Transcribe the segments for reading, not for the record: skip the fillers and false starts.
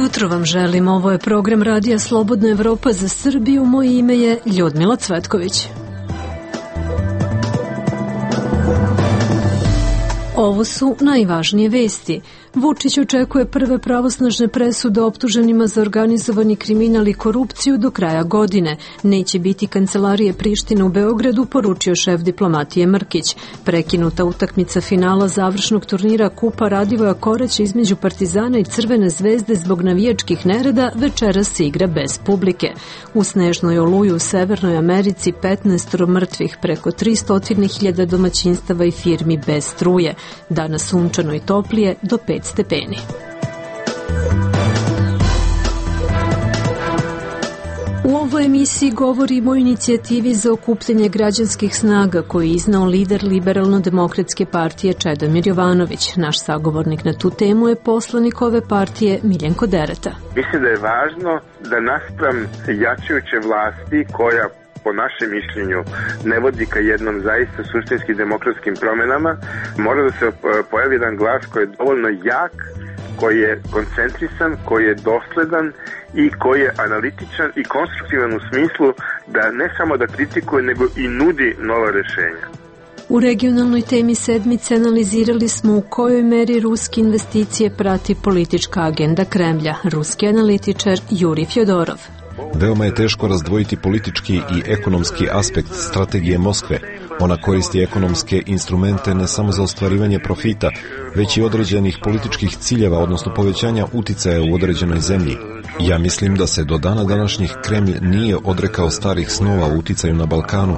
jutro vam želim. Ovo je program Radija Slobodna Evropa za Srbiju. Moje ime je Ljudmila Cvetković. Ovo su najvažnije vesti. Vučić očekuje prve pravosnažne presude optuženima za organizovani kriminal i korupciju do kraja godine. Neće biti kancelarije Prištine u Beogradu, poručio šef diplomatije Mrkić. Prekinuta utakmica finala završnog turnira Kupa Radivoja Koraća između Partizana i Crvene zvezde zbog navijačkih nereda večeras se igra bez publike. U snežnoj oluji u Severnoj Americi 15 mrtvih, preko 300.000 domaćinstava i firmi bez struje. Danas sunčano i toplije do 5 stepeni. U ovoj emisiji govorimo o inicijativi za okupljanje građanskih snaga koju je iznao lider Liberalno-demokratske partije Čedomir Jovanović. Naš sagovornik na tu temu je poslanik ove partije Miljenko Dereta. Mislim da je važno da naspram jačajuće vlasti koja po našem mišljenju ne vodi ka jednom zaista suštinski demokratskim promenama, mora da se pojavi jedan glas koji je dovoljno jak, koji je koncentrisan, koji je dosledan i koji je analitičan i konstruktivan u smislu da ne samo da kritikuje, nego i nudi nova rešenja. U regionalnoj temi sedmice analizirali smo u kojoj meri ruske investicije prati politička agenda Kremlja. Ruski analitičar Juri Fjodorov. Veoma je teško razdvojiti politički i ekonomski aspekt strategije Moskve. Ona koristi ekonomske instrumente ne samo za ostvarivanje profita, već i određenih političkih ciljeva, odnosno povećanja uticaja u određenoj zemlji. Ja mislim da se do dana današnjih Kremlj nije odrekao starih snova u uticaju na Balkanu.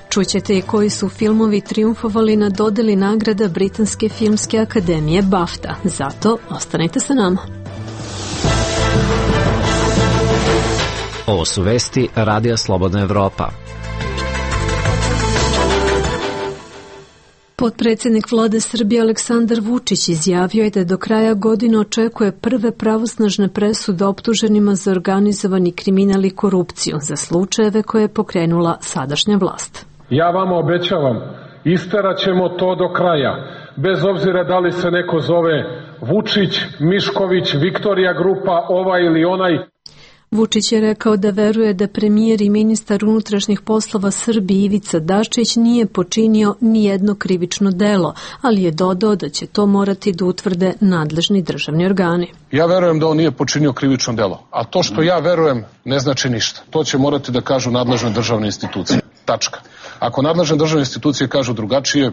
Čućete i koji su filmovi triumfovali na dodeli nagrada Britanske filmske akademije BAFTA. Zato ostanite sa nama. Ovo su vesti Radija Slobodna Evropa. Potpredsjednik vlade Srbije Aleksandar Vučić izjavio je da do kraja godine očekuje prve pravosnažne presude optuženima za organizovani kriminal i korupciju za slučajeve koje je pokrenula sadašnja vlast. Ja vama obećavam, isterat ćemo to do kraja, bez obzira da li se neko zove Vučić, Mišković, Viktorija grupa, ovaj ili onaj. Vučić je rekao da veruje da premijer i ministar unutrašnjih poslova Srbije Ivica Dačić nije počinio ni jedno krivično delo, ali je dodao da će to morati da utvrde nadležni državni organi. Ja verujem da on nije počinio krivično delo, a to što ja verujem ne znači ništa. To će morati da kažu nadležne državne institucije. Tačka. Ako nadležne državne institucije kažu drugačije.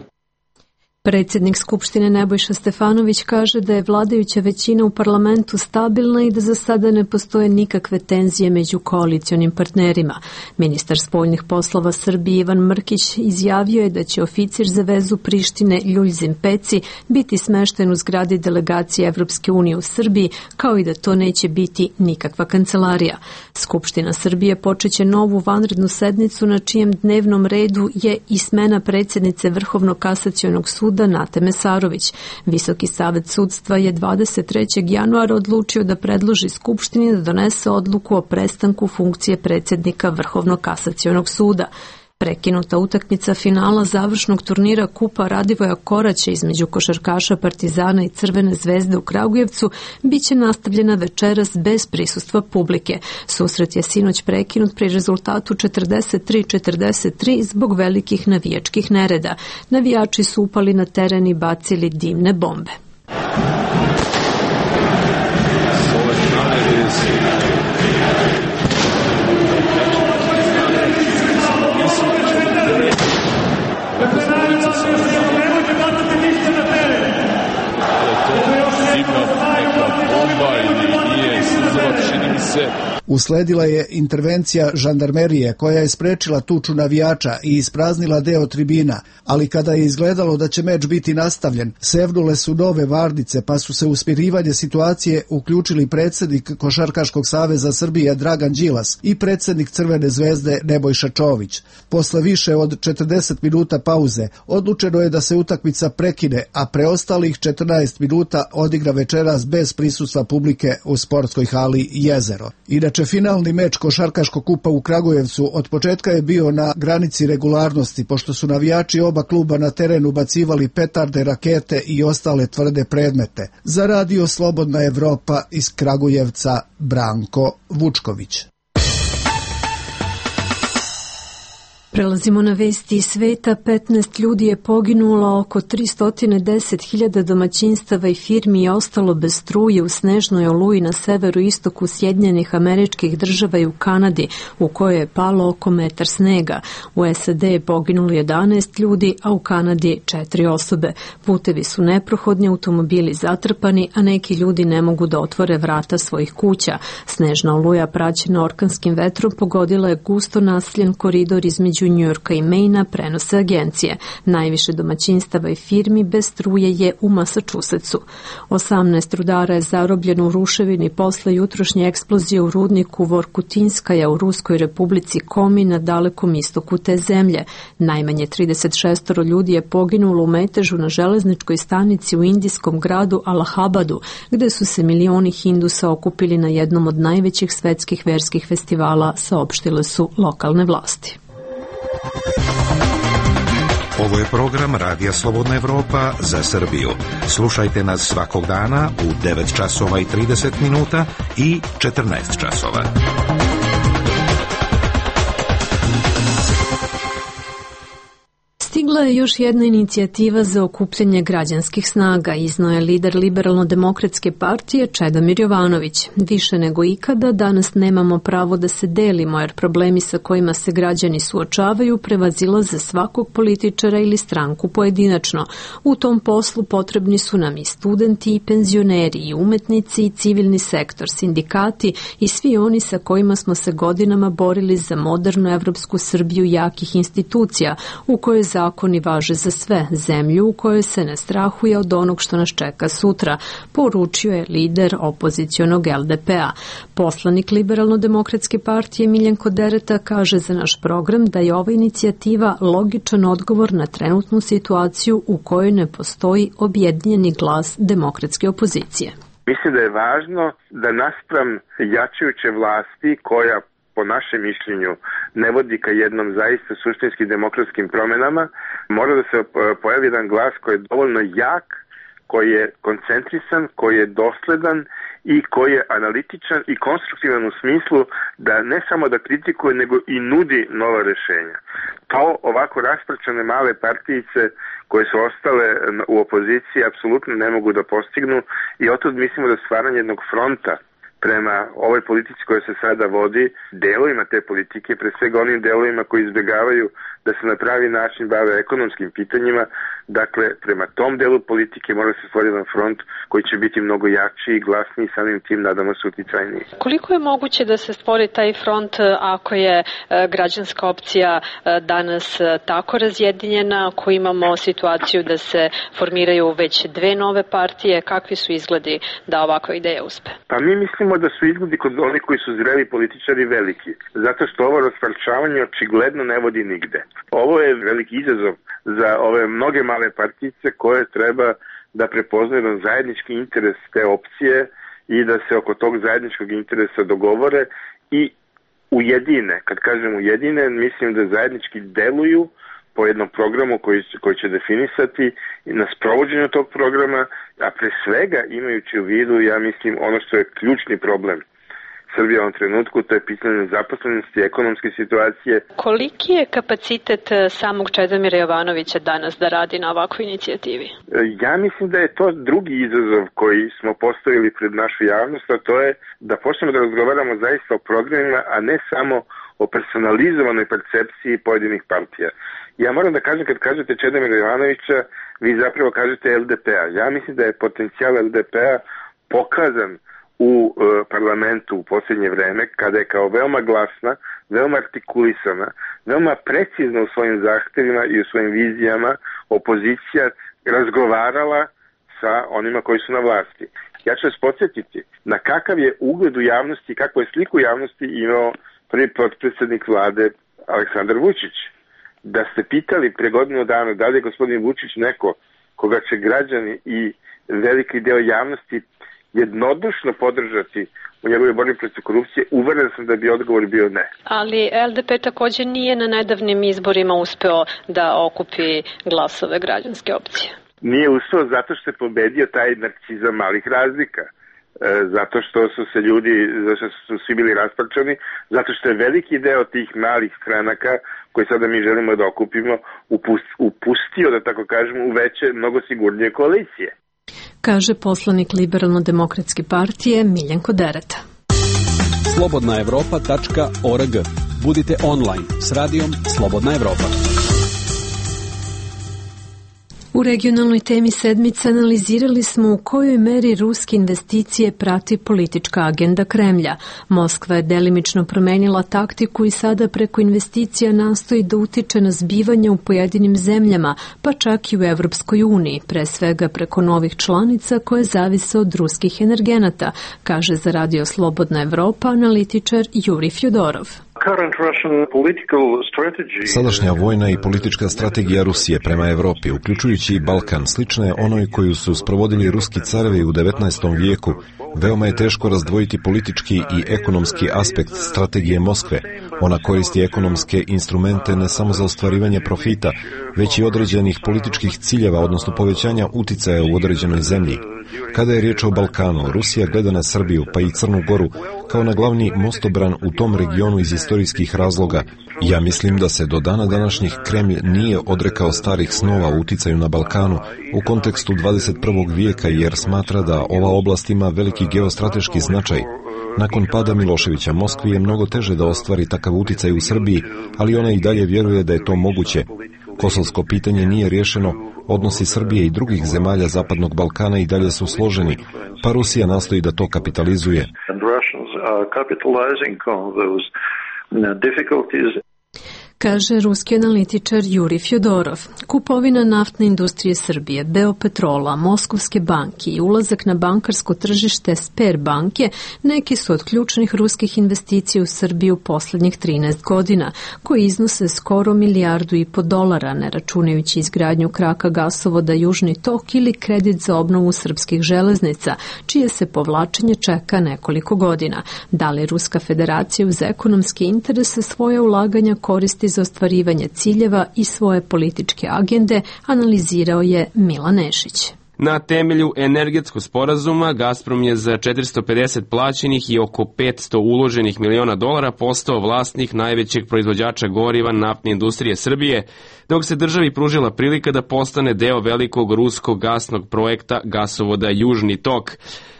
Predsjednik Skupštine Nebojša Stefanović kaže da je vladajuća većina u parlamentu stabilna i da za sada ne postoje nikakve tenzije među koalicionim partnerima. Ministar spoljnih poslova Srbije Ivan Mrkić izjavio je da će oficir za vezu Prištine Ljuljzim Peci biti smešten u zgradi delegacije Evropske unije u Srbiji, kao i da to neće biti nikakva kancelarija. Skupština Srbije počeće novu vanrednu sednicu na čijem dnevnom redu je i smena predsjednice Vrhovnog kasacionog suda Nate Mesarović. Visoki savet sudstva je 23. januara odlučio da predloži Skupštini da donese odluku o prestanku funkcije predsjednika Vrhovnog kasacionog suda. Prekinuta utakmica finala završnog turnira Kupa Radivoja Koraća između košarkaša Partizana i Crvene zvezde u Kragujevcu biće nastavljena večeras bez prisustva publike. Susret je sinoć prekinut pri rezultatu 43-43 zbog velikih navijačkih nereda. Navijači su upali na teren i bacili dimne bombe. Usledila je intervencija žandarmerije koja je sprečila tuču navijača i ispraznila deo tribina, ali kada je izgledalo da će meč biti nastavljen, sevnule su nove varnice pa su se u smirivanje situacije uključili predsjednik Košarkaškog saveza Srbije Dragan Đilas i predsjednik Crvene zvezde Nebojša Čović. Posle više od 40 minuta pauze odlučeno je da se utakmica prekine, a preostalih 14 minuta odigra večeras bez prisustva publike u sportskoj hali Jezero. Inače, Inače, finalni meč košarkaškog kupa u Kragujevcu od početka je bio na granici regularnosti, pošto su navijači oba kluba na terenu bacivali petarde, rakete i ostale tvrde predmete. Za Radio Slobodna Evropa iz Kragujevca, Branko Vučković. Prelazimo na vesti iz sveta. 15 ljudi je poginulo, oko 310.000 domaćinstava i firmi je ostalo bez struje u snežnoj oluji na severu istoku Sjedinjenih Američkih Država i u Kanadi, u kojoj je palo oko metar snega. U SAD je poginulo 11 ljudi, a u Kanadi 4 osobe. Putevi su neprohodni, automobili zatrpani, a neki ljudi ne mogu da otvore vrata svojih kuća. Snežna oluja praćena orkanskim vetrom pogodila je gusto naseljen koridor između Njujorka i Maina, prenose agencije. Najviše domaćinstava i firmi bez struje je u Massachusettsu. 18 rudara je zarobljeno u ruševini posle jutrošnje eksplozije u rudniku Vorkutinskaja u Ruskoj republici Komi na dalekom istoku te zemlje. Najmanje 36 ljudi je poginulo u metežu na železničkoj stanici u indijskom gradu Allahabadu, gde su se milioni Hindusa okupili na jednom od najvećih svetskih verskih festivala, saopštile su lokalne vlasti. Ovo je program Radija Slobodna Evropa za Srbiju. Slušajte nas svakog dana u 9 časova i 30 minuta i 14 časova. Stigla je još jedna inicijativa za okupljanje građanskih snaga, izneo je lider Liberalno-demokratske partije Čedomir Jovanović. Više nego ikada danas nemamo pravo da se delimo, jer problemi sa kojima se građani suočavaju prevazilaze svakog političara ili stranku pojedinačno. U tom poslu potrebni su nam i studenti i penzioneri i umetnici i civilni sektor, sindikati i svi oni sa kojima smo se godinama borili za modernu evropsku Srbiju jakih institucija, u kojoj zakoni važe za sve, zemlju u kojoj se ne strahuje od onog što nas čeka sutra, poručio je lider opozicionog LDP-a. Poslanik Liberalno-demokratske partije Miljenko Dereta kaže za naš program da je ova inicijativa logičan odgovor na trenutnu situaciju u kojoj ne postoji objedinjeni glas demokratske opozicije. Mislim da je važno da naspram jačajuće vlasti koja po našem mišljenju ne vodi ka jednom zaista suštinski demokratskim promenama, mora da se pojavi jedan glas koji je dovoljno jak, koji je koncentrisan, koji je dosledan i koji je analitičan i konstruktivan u smislu da ne samo da kritikuje, nego i nudi nova rešenja. To ovako rasprčane male partijice koje su ostale u opoziciji apsolutno ne mogu da postignu i otod mislimo da stvaranje jednog fronta prema ovoj politici koja se sada vodi, delovima te politike, pre svega onim delovima koji izbjegavaju da se na pravi način bave ekonomskim pitanjima, dakle, prema tom delu politike mora se stvoriti jedan front koji će biti mnogo jači i glasniji, samim tim nadamo se uticajniji. Koliko je moguće da se stvori taj front ako je građanska opcija danas tako razjedinjena, ako imamo situaciju da se formiraju već dve nove partije, kakvi su izgledi da ovakva ideja uspe? Pa mi mislimo da su izgledi kod onih koji su zreli političari veliki, zato što ovo rasparčavanje očigledno ne vodi nigde. Ovo je veliki izazov za ove mnoge male partijice koje treba da prepoznaju jedan zajednički interes te opcije i da se oko tog zajedničkog interesa dogovore i ujedine. Kad kažem ujedine, mislim da zajednički deluju po jednom programu koji će definisati na sprovođenju tog programa, a pre svega imajući u vidu, ja mislim, ono što je ključni problem Srbije u ovom trenutku, to je pitanje zaposlenosti, ekonomske situacije. Koliki je kapacitet samog Čedomira Jovanovića danas da radi na ovakvoj inicijativi? Ja mislim da je to drugi izazov koji smo postavili pred našu javnost, a to je da počnemo da razgovaramo zaista o programima, a ne samo o personalizovanoj percepciji pojedinih partija. Ja moram da kažem, kad kažete Čedomira Jovanovića, vi zapravo kažete LDP-a. Ja mislim da je potencijal LDP-a pokazan u parlamentu u posljednje vreme, kada je kao veoma glasna, veoma artikulisana, veoma precizna u svojim zahtevima i u svojim vizijama opozicija razgovarala sa onima koji su na vlasti. Ja ću vas podsjetiti na kakav je ugled u javnosti, kakvu je sliku javnosti imao prvi potpredsjednik vlade Aleksandar Vučić. Da ste pitali pre godinu dana da li je gospodin Vučić neko koga će građani i veliki deo javnosti jednodušno podržati u njegove borbi protiv korupcije, uveren sam da bi odgovor bio ne. Ali LDP također nije na nedavnim izborima uspeo da okupi glasove građanske opcije. Nije uspeo zato što je pobedio taj narcizam malih razlika. Zato što su se ljudi, zato što su svi bili rasparčani, zato što je veliki deo tih malih stranaka koje sada mi želimo da okupimo upustio, da tako kažemo, u veće, mnogo sigurnije koalicije. Kaže poslanik Liberalno-demokratske partije Miljenko Dereta. Slobodnaevropa.org. Budite online s radijom Slobodna Evropa. U regionalnoj temi sedmice analizirali smo u kojoj meri ruske investicije prati politička agenda Kremlja. Moskva je delimično promenila taktiku i sada preko investicija nastoji da utiče na zbivanja u pojedinim zemljama, pa čak i u Evropskoj uniji, pre svega preko novih članica koje zavise od ruskih energenata, kaže za Radio Slobodna Evropa analitičar Juri Fjodorov. Sadašnja vojna i politička strategija Rusije prema Evropi, uključujući i Balkan, slična je onoj koju su sprovodili ruski carevi u 19. vijeku. Veoma je teško razdvojiti politički i ekonomski aspekt strategije Moskve. Ona koristi ekonomske instrumente ne samo za ostvarivanje profita, već i određenih političkih ciljeva, odnosno povećanja uticaja u određenoj zemlji. Kada je riječ o Balkanu, Rusija gleda na Srbiju, pa i Crnu Goru, kao na glavni mostobran u tom regionu iz istorijskih razloga. Ja mislim da se do dana današnjih Kremlj nije odrekao starih snova u uticaju na Balkanu u kontekstu 21. vijeka, jer smatra da ova oblast ima veliki geostrateški značaj. Nakon pada Miloševića, Moskvi je mnogo teže da ostvari takav uticaj u Srbiji, ali ona i dalje vjeruje da je to moguće. Kosovsko pitanje nije riješeno, odnosi Srbije i drugih zemalja Zapadnog Balkana i dalje su složeni, pa Rusija nastoji da to kapitalizuje. Kaže ruski analitičar Juri Fjodorov. Kupovina naftne industrije Srbije, Beopetrola, Moskovske banke i ulazak na bankarsko tržište Sberbanke neki su od ključnih ruskih investicija u Srbiju posljednjih 13 godina, koji iznose skoro $1,5 milijardu, ne računajući izgradnju kraka gasovoda Južni tok ili kredit za obnovu srpskih železnica, čije se povlačenje čeka nekoliko godina. Da li Ruska federacija uz ekonomske interese svoje ulaganja koristi za ostvarivanje ciljeva i svoje političke agende, analizirao je Milan Nešić. Na temelju energetskog sporazuma Gazprom je za 450 plaćenih i oko 500 uloženih miliona dolara postao vlasnik najvećeg proizvođača goriva naftne industrije Srbije, dok se državi pružila prilika da postane deo velikog ruskog gasnog projekta gasovoda Južni tok.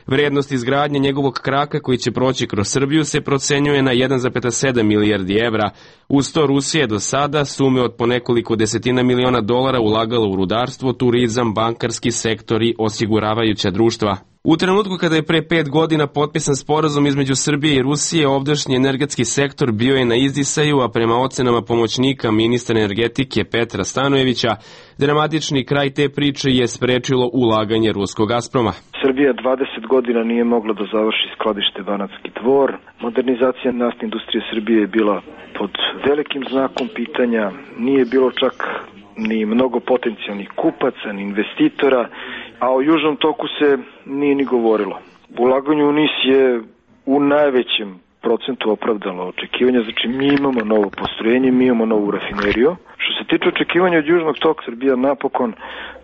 Vrednost izgradnje njegovog kraka koji će proći kroz Srbiju se procenjuje na 1,7 milijardi evra. Uz to Rusija je do sada sume od po nekoliko desetina miliona dolara ulagala u rudarstvo, turizam, bankarski sektor i osiguravajuća društva. U trenutku kada je pre 5 godina potpisan sporazum između Srbije i Rusije, ovdašnji energetski sektor bio je na izdisaju, a prema ocenama pomoćnika ministra energetike Petra Stanojevića, dramatični kraj te priče je sprečilo ulaganje ruskog Gazproma. Srbija 20 godina nije mogla da završi skladište Banatski Dvor. Modernizacija naftne industrije Srbije je bila pod velikim znakom pitanja. Nije bilo čak ni mnogo potencijalnih kupaca, ni investitora, a o Južnom toku se nije ni govorilo. Ulaganje u NIS je u najvećem procentu opravdalo očekivanja, znači mi imamo novo postrojenje, mi imamo novu rafineriju. Što se tiče očekivanja od Južnog toka, Srbija napokon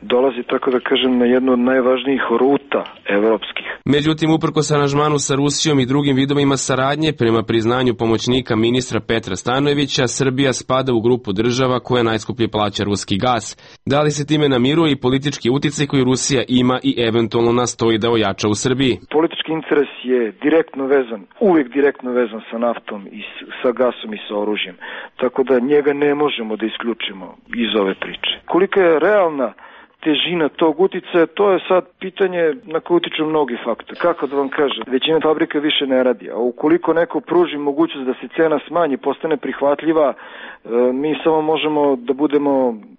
dolazi, tako da kažem, na jednu od najvažnijih ruta evropskih. Međutim, uprkos aranžmanu sa Rusijom i drugim vidovima saradnje, prema priznanju pomoćnika ministra Petra Stanojevića, Srbija spada u grupu država koja najskuplje plaća ruski gas. Da li se time namiruje i politički uticaj koji Rusija ima i eventualno nastoji da ojača u Srbiji? Politički interes je direktno vezan, uvijek direktno vezan sa naftom i sa gasom i sa oružjem. Tako da njega ne možemo da isključimo iz ove priče. Kolika je realna težina tog uticaja, to je sad pitanje na koje utiču mnogi faktori. Kako da vam kažem, većina fabrika više ne radi, a ukoliko neko pruži mogućnost da se cena smanji, postane prihvatljiva, mi samo možemo da budemo,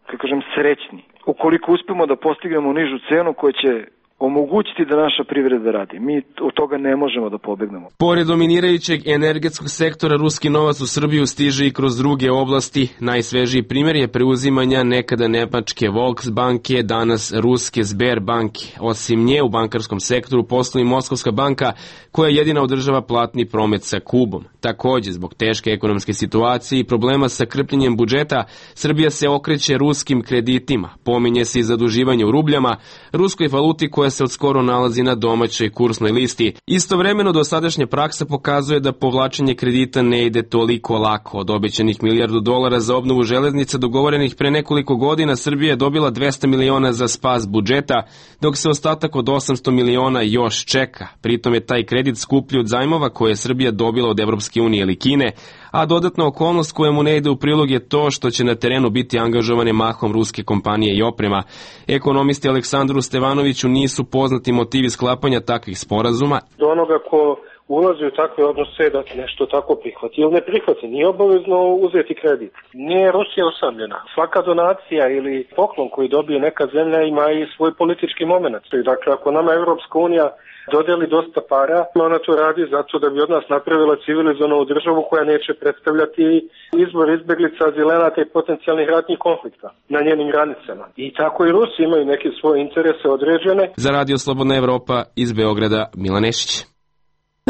kako kažem, srećni. Ukoliko uspemo da postignemo nižu cenu koja će omogućiti da naša privreda radi. Mi od toga ne možemo da pobegnemo. Pored dominirajućeg energetskog sektora, ruski novac u Srbiju stiže i kroz druge oblasti. Najsvežiji primjer je preuzimanja nekada nemačke Volksbanke, danas ruske Sberbanke. Osim nje u bankarskom sektoru postoji Moskovska banka koja jedina održava platni promet sa Kubom. Takođe, zbog teške ekonomske situacije i problema sa krpljenjem budžeta, Srbija se okreće ruskim kreditima. Pominje se i zaduživanje u rubljama, ruskoj valuti koja se odskoro nalazi na domaćoj kursnoj listi. Istovremeno, dosadašnja praksa pokazuje da povlačenje kredita ne ide toliko lako. Od obećanih $1 milijardu za obnovu železnica dogovorenih pre nekoliko godina, Srbija je dobila 200 miliona za spas budžeta, dok se ostatak od 800 miliona još čeka. Pritom je taj kredit skuplji od zajmova koje je Srbija dobila od Evropske unije ili Kine, a dodatna okolnost koja mu ne ide u prilog je to što će na terenu biti angažovane mahom ruske kompanije i oprema. Ekonomisti Aleksandru Stevanoviću nisu poznati motivi sklapanja takvih sporazuma. Do onoga ko ulazi u takve odnose da nešto tako prihvati ili ne prihvati, nije obavezno uzeti kredit. Nije Rusija osamljena. Svaka donacija ili poklon koji dobije neka zemlja ima i svoj politički moment. Dakle, ako nama Evropska unija dodeli dosta para, ona to radi zato da bi od nas napravila civilizovanu državu koja neće predstavljati izbor izbeglica, azilenata i potencijalnih ratnih konflikta na njenim granicama. I tako i Rusi imaju neke svoje interese određene. Za Radio Slobodna Evropa iz Beograda, Milan Nešić.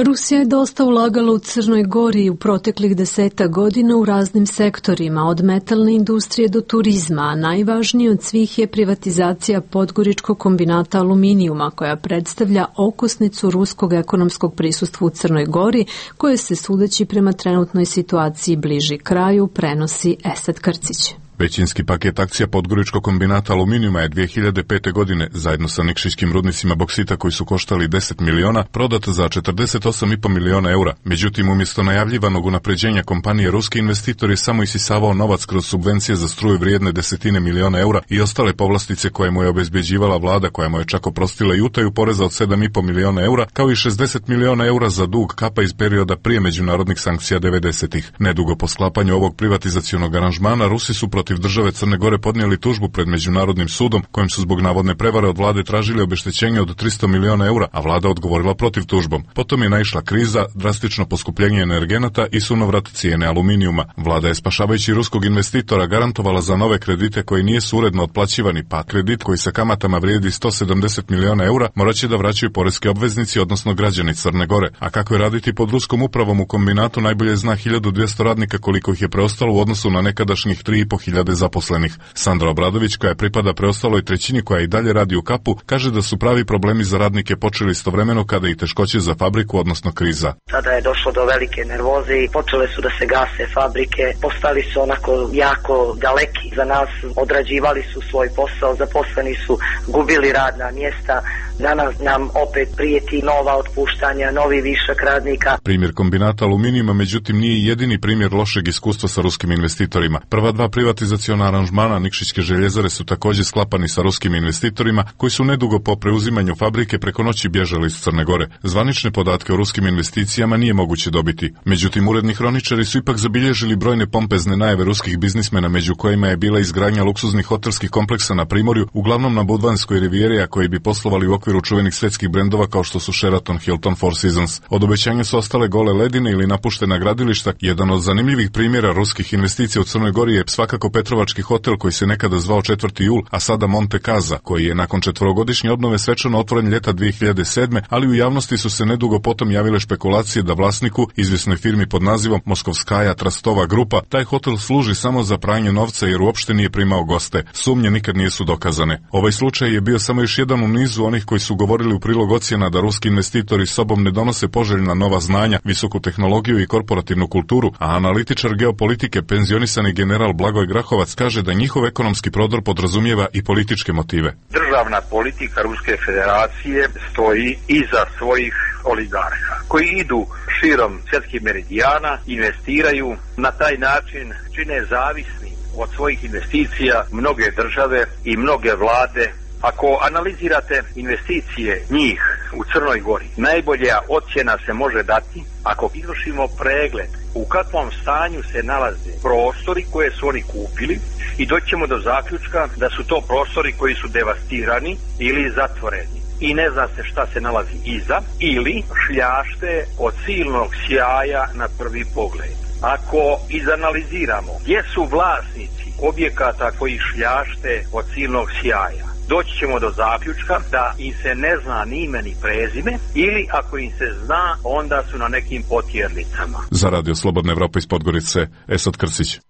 Rusija je dosta ulagala u Crnoj Gori u proteklih 10 godina u raznim sektorima, od metalne industrije do turizma, a najvažniji od svih je privatizacija Podgoričkog kombinata aluminijuma, koja predstavlja okosnicu ruskog ekonomskog prisustva u Crnoj Gori, koje se, sudeći prema trenutnoj situaciji, bliži kraju, prenosi Esad Krcić. Većinski paket akcija Podgoričkog kombinata aluminijuma je 2005. godine, zajedno sa nikšićkim rudnicima boksita koji su koštali 10 miliona, prodat za 48,5 miliona eura. Međutim, umjesto najavljivanog unapređenja kompanije, ruski investitor je samo isisavao novac kroz subvencije za struju vrijedne desetine miliona eura i ostale povlastice koje mu je obezbeđivala vlada, koja mu je čak oprostila i utaju poreza od 7,5 miliona eura, kao i 60 miliona eura za dug kapa iz perioda prije međunarodnih sankcija 90-ih. Nedugo po sklapanju ovog privatizacionog aranžmana, Rusi su protiv države Crne Gore podnijeli tužbu pred Međunarodnim sudom, kojim su zbog navodne prevare od vlade tražili obeštećenje od 300 miliona eura, a vlada odgovorila protiv tužbom. Potom je naišla kriza, drastično poskupljenje energenata i sunovrat cijene aluminijuma. Vlada je, spašavajući ruskog investitora, garantovala za nove kredite koji nisu uredno otplaćivani, pa kredit koji sa kamatama vrijedi 170 miliona eura morat će da vraćaju poreski obveznici, odnosno građani Crne Gore. A kako je raditi pod ruskom upravom u kombinatu najbolje zna 1200 radnika koliko ih je preostalo u odnosu na nekadašnjih 3.500 zaposlenih. Sandra Obradović, koja pripada preostaloj trećini koja i dalje radi u kapu, kaže da su pravi problemi za radnike počeli istovremeno kada i teškoće za fabriku, odnosno kriza. Tada je došlo do velike nervoze i počele su da se gase fabrike, postali su onako jako daleki za nas, odrađivali su svoj posao, zaposleni su gubili radna mjesta. Danas nam opet prijeti nova otpuštanja, novi višak radnika. Primjer kombinata aluminijuma, međutim, nije jedini primjer lošeg iskustva sa ruskim investitorima. Prva dva privatizaciona aranžmana Nikšićke željezare su također sklapani sa ruskim investitorima, koji su nedugo po preuzimanju fabrike preko noći bježali iz Crne Gore. Zvanične podatke o ruskim investicijama nije moguće dobiti. Međutim, uredni hroničari su ipak zabilježili brojne pompezne najave ruskih biznismena, među kojima je bila izgradnja luksuznih hotelskih kompleksa na Primorju, uglavnom na Budvanskoj rivijeri, a koji bi poslovali u okviru čuvenih svjetskih brendova kao što su Sheraton, Hilton, Four Seasons. Od obećanja su ostale gole ledine ili napuštena gradilišta. Jedan od zanimljivih primjera ruskih investicija u Crnoj Gori je svakako Petrovački hotel koji se nekada zvao 4. jul, a sada Monte Casa, koji je nakon 4-godišnje obnove svečano otvoren ljeta 2007. ali u javnosti su se nedugo potom javile špekulacije da vlasniku, izvjesnoj firmi pod nazivom Moskovskaja Trastova grupa, taj hotel služi samo za pranje novca jer uopšte nije primao goste. Sumnje nikad nisu dokazane. Ovaj slučaj je bio samo još jedan u nizu onih koji su govorili u prilog ocjena da ruski investitori sobom ne donose poželjna nova znanja, visoku tehnologiju i korporativnu kulturu, a analitičar geopolitike, penzionisani general Blagoj Grahovac, kaže da njihov ekonomski prodor podrazumijeva i političke motive. Državna politika Ruske federacije stoji iza svojih oligarha, koji idu širom svjetskih meridijana, investiraju, na taj način čine zavisni od svojih investicija mnoge države i mnoge vlade. Ako analizirate investicije njih u Crnoj Gori, najbolja ocjena se može dati ako izvršimo pregled u kakvom stanju se nalaze prostori koje su oni kupili i doćemo do zaključka da su to prostori koji su devastirani ili zatvoreni. i ne zna se šta se nalazi iza, ili šljašte od silnog sjaja na prvi pogled. Ako izanaliziramo gdje su vlasnici objekata koji šljašte od silnog sjaja, doći ćemo do zaključka da im se ne zna ni ime ni prezime, ili ako im se zna, onda su na nekim potjernicama. Za Radio Slobodna Evropa iz Podgorice, Esad Krsić.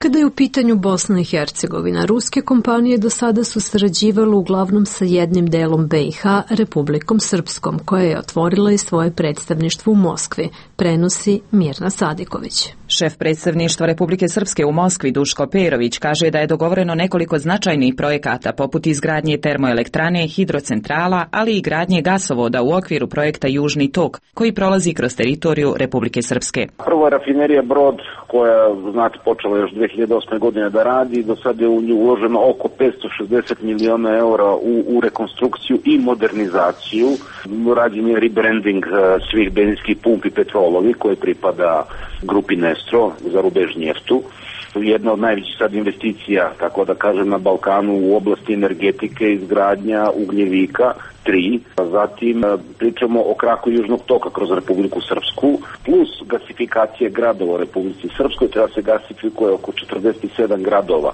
Kada je u pitanju Bosna i Hercegovina, ruske kompanije do sada su sarađivale uglavnom sa jednim delom BiH, Republikom Srpskom, koja je otvorila i svoje predstavništvo u Moskvi, prenosi Mirna Sadiković. Šef predstavništva Republike Srpske u Moskvi, Duško Perović, kaže da je dogovoreno nekoliko značajnih projekata poput izgradnje termoelektrane, hidrocentrala, ali i gradnje gasovoda u okviru projekta Južni tok, koji prolazi kroz teritoriju Republike Srpske. Prva rafinerija Brod, koja počela još 2008. godine da radi, do sada je u nju uloženo oko 560 miliona eura u rekonstrukciju i modernizaciju. Rađen je rebranding svih benzinskih pumpi Petrolovi, koje pripada grupi Nestro za rubež njeftu. Jedna od najvećih sad investicija, tako da kažem, na Balkanu u oblasti energetike, izgradnja ugljevika 3. Zatim pričamo o kraku Južnog toka kroz Republiku Srpsku, plus gasifikacije gradova u Republici Srpskoj. Treba se gasifikuje oko 47 gradova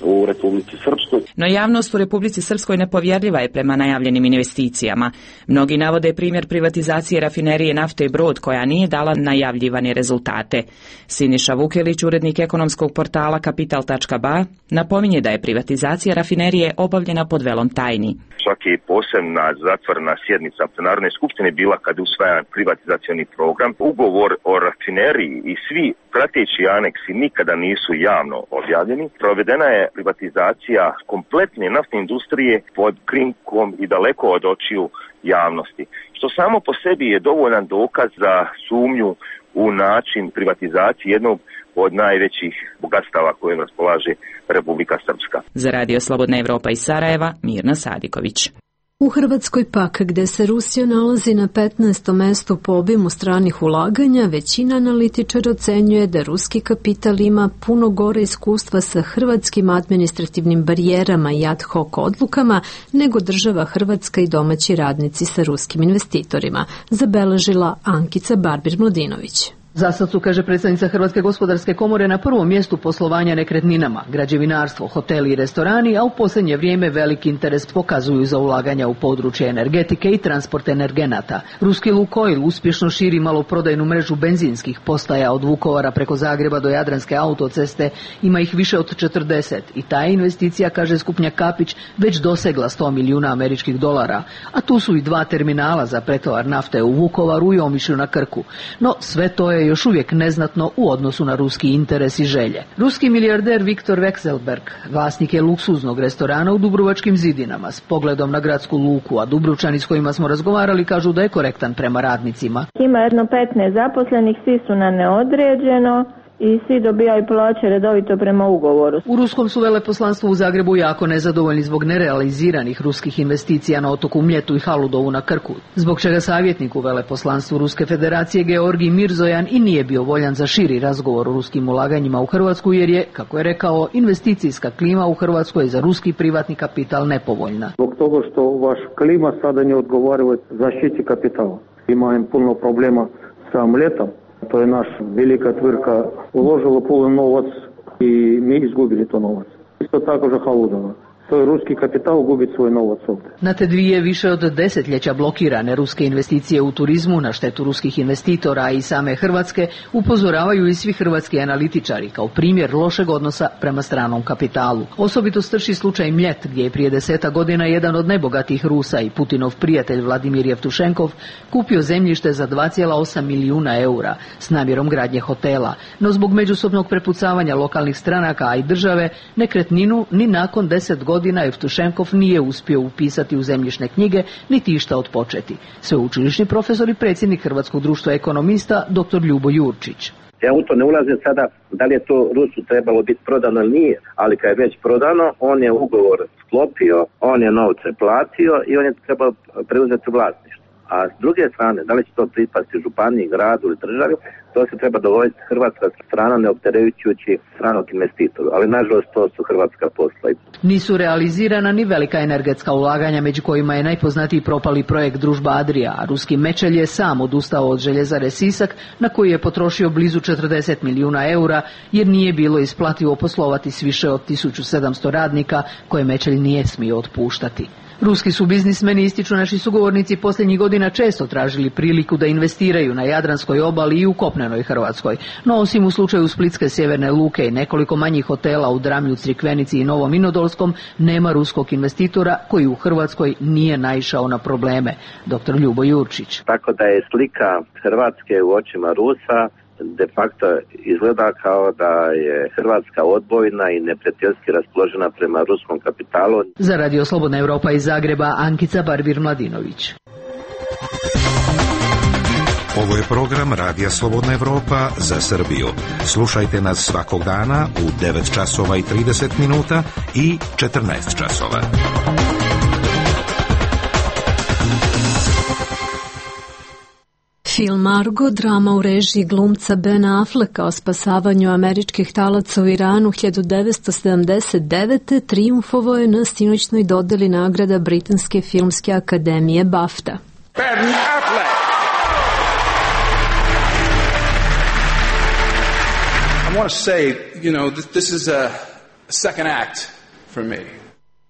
u Republici Srpskoj. No javnost u Republici Srpskoj nepovjerljiva je prema najavljenim investicijama. Mnogi navode primjer privatizacije rafinerije nafte Brod koja nije dala najavljivane rezultate. Siniša Vukelić, urednik ekonomskog portala Kapital.ba, napominje da je privatizacija rafinerije obavljena pod velom tajni. Svaki posebna zatvorena sjednica Narodne skupštine bila kad je usvajan privatizacioni program. Ugovor o rafineriji i svi prateći aneksi nikada nisu javno objavljeni. Provedena je privatizacija kompletne naftne industrije pod krinkom i daleko od očiju javnosti, što samo po sebi je dovoljan dokaz za sumnju u način privatizacije jednog od najvećih bogatstava kojim raspolaže Republika Srpska. Za Radio Slobodna Evropa iz Sarajeva, Mirna Sadiković. U Hrvatskoj pak, gde se Rusija nalazi na 15. mestu po obimu stranih ulaganja, većina analitičara ocenjuje da ruski kapital ima puno gore iskustva sa hrvatskim administrativnim barijerama i ad hoc odlukama nego država Hrvatska i domaći radnici sa ruskim investitorima, zabeležila Ankica Barbir-Mladinović. Za sad su, kaže predstavnica Hrvatske gospodarske komore, na prvom mjestu poslovanja nekretninama, građevinarstvo, hoteli i restorani, a u posljednje vrijeme veliki interes pokazuju za ulaganja u područje energetike i transport energenata. Ruski Lukoil uspješno širi maloprodajnu mrežu benzinskih postaja od Vukovara preko Zagreba do Jadranske autoceste, ima ih više od 40 i ta investicija, kaže Skupnjak Kapić, već dosegla $100 milijuna američkih dolara, a tu su i 2 terminala za pretovar nafte u Vukovaru i Omišlju na Krku. No sve to je još uvijek neznatno u odnosu na ruski interes i želje. Ruski milijarder Viktor Vekselberg vlasnik je luksuznog restorana u Dubrovačkim zidinama s pogledom na gradsku luku, a Dubrovčani s kojima smo razgovarali kažu da je korektan prema radnicima. Ima jedno 15 zaposlenih, svi su na neodređeno i svi dobijaju plaće redovito prema ugovoru. U ruskom su veleposlanstvu u Zagrebu jako nezadovoljni zbog nerealiziranih ruskih investicija na otoku Mljetu i Haludovu na Krku, zbog čega savjetnik u veleposlanstvu Ruske federacije Georgij Mirzojan i nije bio voljan za širi razgovor o ruskim ulaganjima u Hrvatsku, jer je, kako je rekao, investicijska klima u Hrvatskoj za ruski privatni kapital nepovoljna. Zbog toga što vaš klima sada ne odgovara zaštiti kapitala. Imamo puno problema sa Mljetom. To je naša velika tvrtka uložila puno novac i mi izgubili to novac. Isto tako za Haludova. To je ruski kapital gubi svoj novac ovdje. Na te dvije više od desetljeća blokirane ruske investicije u turizmu na štetu ruskih investitora i same Hrvatske upozoravaju i svi hrvatski analitičari kao primjer lošeg odnosa prema stranom kapitalu. Osobito strši slučaj Mljet, gdje je prije 10 godina jedan od najbogatijih Rusa i Putinov prijatelj Vladimir Jevtušenkov kupio zemljište za 2,8 milijuna eura s namjerom gradnje hotela, no zbog međusobnog prepucavanja lokalnih stranaka, a i države, nekretninu ni nakon 10 godina Jevtušenkov nije uspio upisati u zemljišne knjige niti išta odpočeti. Sveučilišni profesor i predsjednik Hrvatskog društva ekonomista dr. Ljubo Jurčić. Ja u to ne ulazim sada da li je to Rusu trebalo biti prodano ili nije, ali kad je već prodano, on je ugovor sklopio, on je novce platio i on je trebao preuzeti vlasništvo. A s druge strane, da li će to pripasti županiji, gradu ili državi, to se treba dogovoriti hrvatska strana, ne opterećujući stranog investitora, ali nažalost to su hrvatska posla. Nisu realizirana ni velika energetska ulaganja, među kojima je najpoznatiji propali projekt Družba Adria, a ruski Mečelj je sam odustao od željezare Sisak, na koji je potrošio blizu 40 milijuna eura, jer nije bilo isplativo poslovati s više od 1700 radnika koje Mečelj nije smio otpuštati. Ruski su biznismeni, ističu naši sugovornici, posljednjih godina često tražili priliku da investiraju na Jadranskoj obali i u kopnenoj Hrvatskoj. No osim u slučaju Splitske sjeverne luke i nekoliko manjih hotela u Dramlju, Crikvenici i Novom Vinodolskom, nema ruskog investitora koji u Hrvatskoj nije naišao na probleme. Dr. Ljubo Jurčić. Tako da je slika Hrvatske u očima Rusa de facto izgleda kao da je Hrvatska odbojna i neprijateljski raspoložena prema ruskom kapitalu. Za Radio Slobodna Evropa iz Zagreba, Ankica Barbir-Mladinović. Ovo je program Radija Slobodna Evropa za Srbiju. Slušajte nas svakog dana u 9 časova i 30 minuta i 14 časova. Film Argo, drama u režiji glumca Ben Afflecka o spasavanju američkih talaca u Iranu 1979. trijumfovao je na sinoćnoj dodeli nagrada Britanske filmske akademije BAFTA. Ben Affleck! I want to say, this is a second act for me.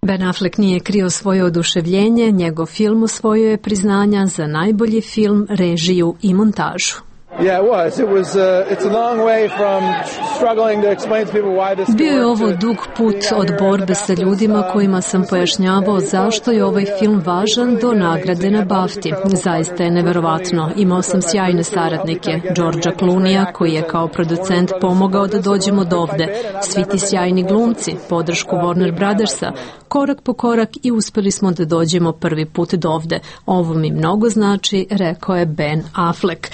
Ben Affleck nije krio svoje oduševljenje, njegov film osvojio je priznanja za najbolji film, režiju i montažu. Bio je ovo dug put od borbe sa ljudima kojima sam pojašnjavao zašto je ovaj film važan do nagrade na BAFTI. Zaista je neverovatno. Imao sam sjajne saradnike. Georgea Clooneyja, koji je kao producent pomogao da dođemo do ovde. Svi ti sjajni glumci, podršku Warner Brothersa. Korak po korak i uspeli smo da dođemo prvi put do ovde. Ovo mi mnogo znači, rekao je Ben Affleck.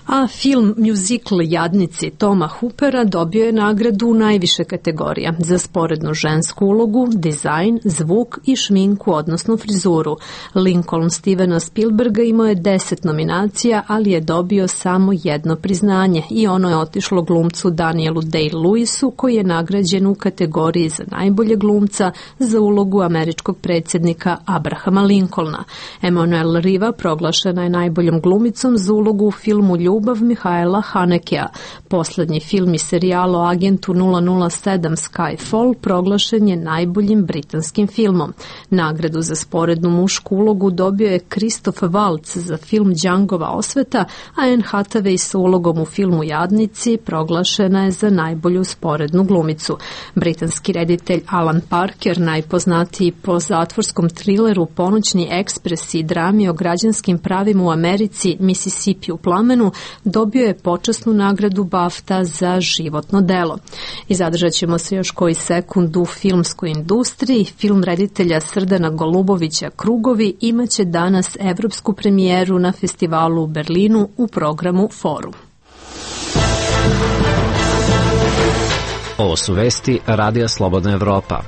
A film Musical Jadnici Toma Hoopera dobio je nagradu u najviše kategorija za sporednu žensku ulogu, dizajn, zvuk i šminku, odnosno frizuru. Lincoln Stevena Spielberga imao je 10 nominacija, ali je dobio samo jedno priznanje i ono je otišlo glumcu Danielu Day-Lewisu, koji je nagrađen u kategoriji za najbolje glumca za ulogu američkog predsjednika Abrahama Lincolna. Emanuel Riva proglašena je najboljom glumicom za ulogu u filmu Ljubav Mihaela Hanekea. Poslednji film i serijal o agentu 007 Skyfall proglašen je najboljim britanskim filmom. Nagradu za sporednu mušku ulogu dobio je Christoph Waltz za film Djangova osveta, a Anne Hathaway sa ulogom u filmu Jadnici proglašena je za najbolju sporednu glumicu. Britanski reditelj Alan Parker, najpoznatiji po zatvorskom trileru Ponoćni ekspres i drami o građanskim pravima u Americi Mississippi u plamenu, dobio je počasnu nagradu BAFTA za životno delo. I zadržat ćemo se još koji sekund u filmskoj industriji. Film reditelja Srdana Golubovića Krugovi imaće danas evropsku premijeru na festivalu u Berlinu u programu Forum. Ovo su vesti Radija Slobodna Evropa.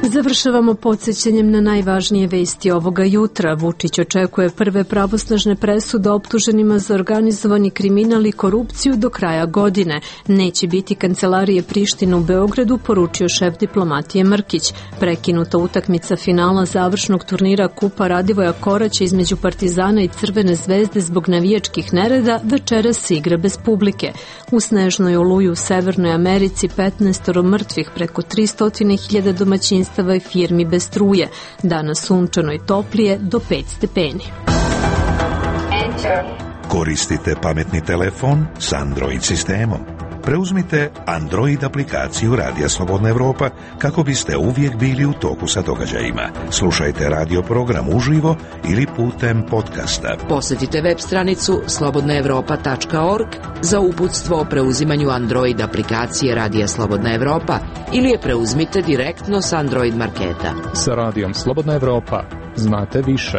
Završavamo podsjećanjem na najvažnije vesti ovoga jutra. Vučić očekuje prve pravosnažne presude optuženima za organizovani kriminal i korupciju do kraja godine. Neće biti kancelarije Prištine u Beogradu, poručio šef diplomatije Mrkić. Prekinuta utakmica finala završnog turnira Kupa Radivoja Koraća između Partizana i Crvene zvezde zbog navijačkih nereda večeras se igra bez publike. U snežnoj oluji u Severnoj Americi 15 mrtvih, preko 300.000 domaćinstava i firmi bez struje. Danas sunčano i toplije do 5 stepeni. Koristite pametni telefon s Android sistemom. Preuzmite Android aplikaciju Radija Slobodna Evropa kako biste uvijek bili u toku sa događajima. Slušajte radio program uživo ili putem podcasta. Posjetite web stranicu slobodnaevropa.org za uputstvo o preuzimanju Android aplikacije Radija Slobodna Evropa ili je preuzmite direktno s Android marketa. Sa Radijom Slobodna Evropa znate više.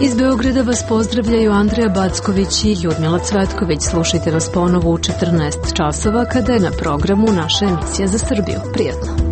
Iz Beograda vas pozdravljaju Andreja Backović i Ljudmila Cvetković. Slušajte nas ponovo u 14 časova kada je na programu naša emisija za Srbiju. Prijatno.